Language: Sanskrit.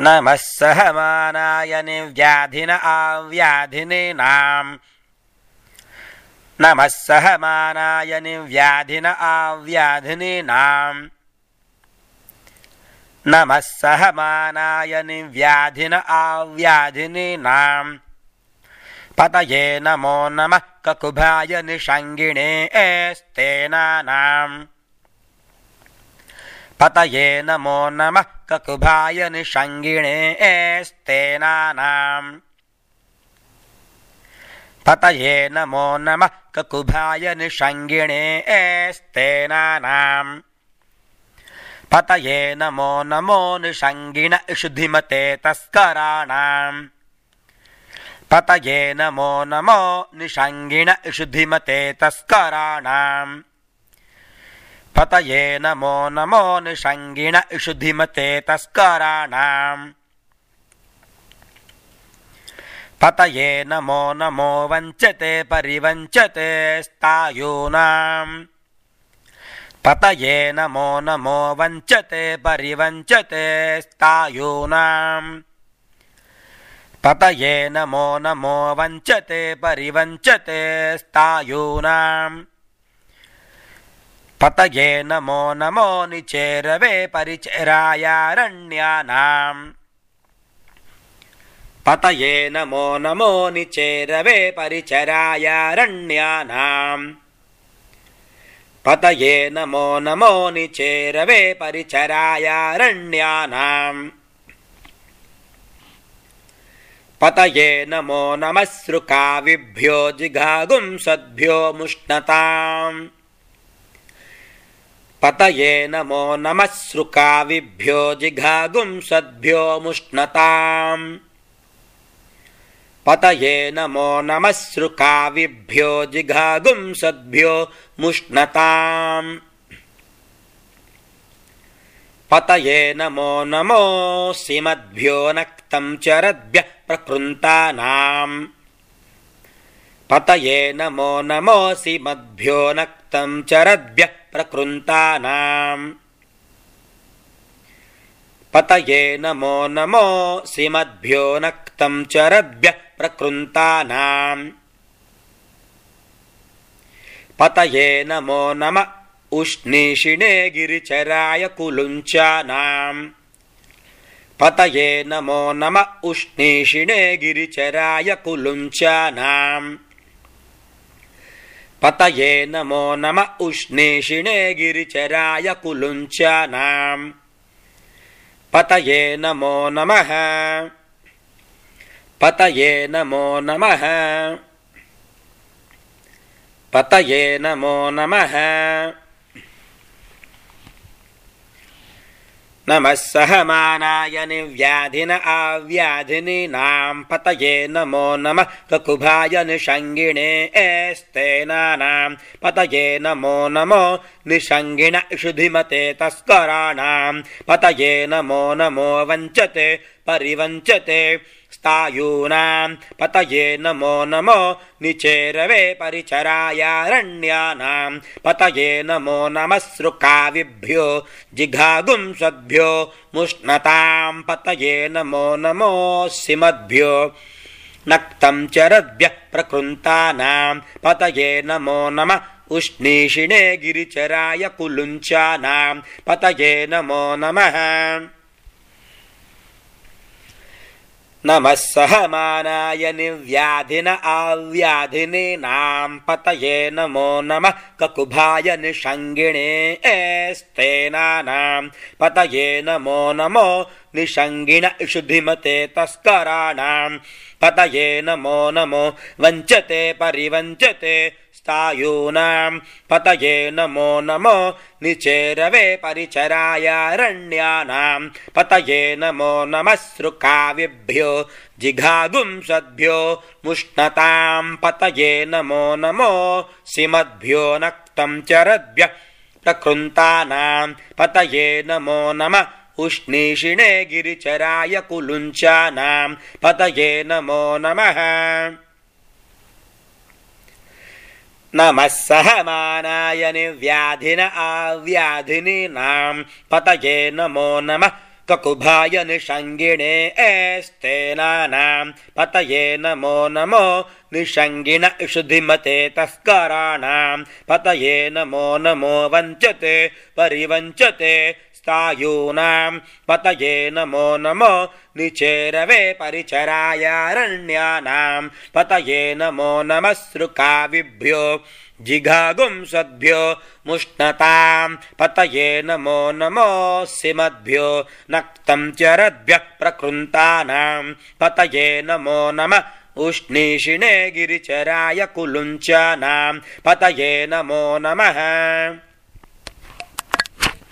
नमः सहमानाय निव्याधिन आव्याधिनीनां नमः सहमानाय निव्याधिन आव्याधिनीनां नमः सहमानाय निव्याधिन आव्याधिनीनां पतये नमो नमः ककुभाय निषङ्गिणे एस्तेनानां पतये नमो नमः ककुभाय निषङ्गिणे एस्तेनानां पतये नमो नमः ककुभाय निषङ्गिणे एस्तेनानां पतये नमो नमो निषङ्गिण इषुधिमते तस्कराणां पतये नमो नमो निषङ्गिण इषुधिमते तस्कराणां पतये नमो नमो निषङ्गिण इषुधिमते तस्कराणां पतये नमो नमो वञ्चते परिवञ्चते स्थायूनां पतये नमो नमो वञ्चते परिवञ्चते स्थायूनां पतये नमो नमो वञ्चते परिवञ्चते स्थायूनां पतये नमो नमो निचेरवे परिचरायारण्यानां पतये नमो नमो निचेरवे परिचरायारण्यानां पतये नमो नमो निचेरवे परिचरायारण्यानां पतये नमो नमः सृकाविभ्यो जिघागुंसद्भ्यो मुष्णताम् पतये नमो नमः सृकाविभ्यो जिघागुंसद्भ्यो मुष्णताम् पतये नमो नमः सृकाविभ्यो जिघागुंसद्भ्यो मुष्णताम् पतये नमो नमो सीमद्भ्यो नक्तं चरद्भ्यः प्रकृन्तानाम् पतये नमो नमो सीमद्भ्यो नक्तं चरद्भ्यः प्रकृन्तानाम् पतये नमो नमो सीमद्भ्यो नक्तं चरद्भ्यः प्रकृन्तानाम् पतये नमो नमः उष्णीषिणे गिरिचराय कुलुञ्चानां पतये नमो नमः उष्णीषिणे गिरिचराय कुलुञ्चानां पतये नमो नमः उष्णीषिणे गिरिचराय कुलुञ्चानां पतये नमो नमः पतये नमो नमः पतये नमो नमः नमः सहमानाय निव्याधिन आव्याधिनीनां पतये नमो नमः ककुभाय निषङ्गिणे एस्तेनानां पतये नमो नमो निषङ्गिण इषुधिमते तस्कराणां पतये नमो नमो वञ्चते परिवञ्चते स्थायूनां पतये नमो नमो निचेरवे परिचरायारण्यानां पतये नमो नमः सृकाविभ्यो जिघागुंसद्भ्यो मुष्णतां पतये नमो नमो सीमद्भ्यो नक्तं चरद्भ्यः प्रकृन्तानां पतये नमो नमः उष्णीषिणे गिरिचराय कुलुञ्चानां पतये नमो नमः नमः सहमानाय निव्याधिन आव्याधिनीनां पतये नमो नमः ककुभाय निषङ्गिणे एस्तेनानां पतये नमो नमो निषङ्गिण इषुधिमते तस्कराणां पतये नमो नमो वञ्चते परिवञ्चते स्थायूनां पतये नमो नमो निचेरवे परिचरायारण्यानां पतये नमो नमः सृकाविभ्यो जिघागुंसद्भ्यो मुष्णतां पतये नमो नमो सीमद्भ्यो नक्तं चरद्भ्यः प्रकृन्तानां पतये नमो नमः उष्णीषिणे गिरिचराय कुलुञ्चानां पतये नमो नमः नमः सहमानाय निव्याधिन आव्याधिनीनां पतये नमो नमः ककुभाय निषङ्गिणे एस्तेनानां पतये नमो नमो निषङ्गिण इषुधिमते तस्कराणां पतये नमो नमो वञ्चते परिवञ्चते स्थायूनां पतये नमो नमो निचेरवे परिचरायारण्यानां पतये नमो नमः सृकाविभ्यो जिघागुंसद्भ्यो मुष्णतां पतये नमो नमो सिमद्भ्यो नक्तं चरद्भ्यः प्रकृन्तानां पतये नमो नमः उष्णीषिणे गिरिचराय कुलुञ्चानां पतये नमो नमः।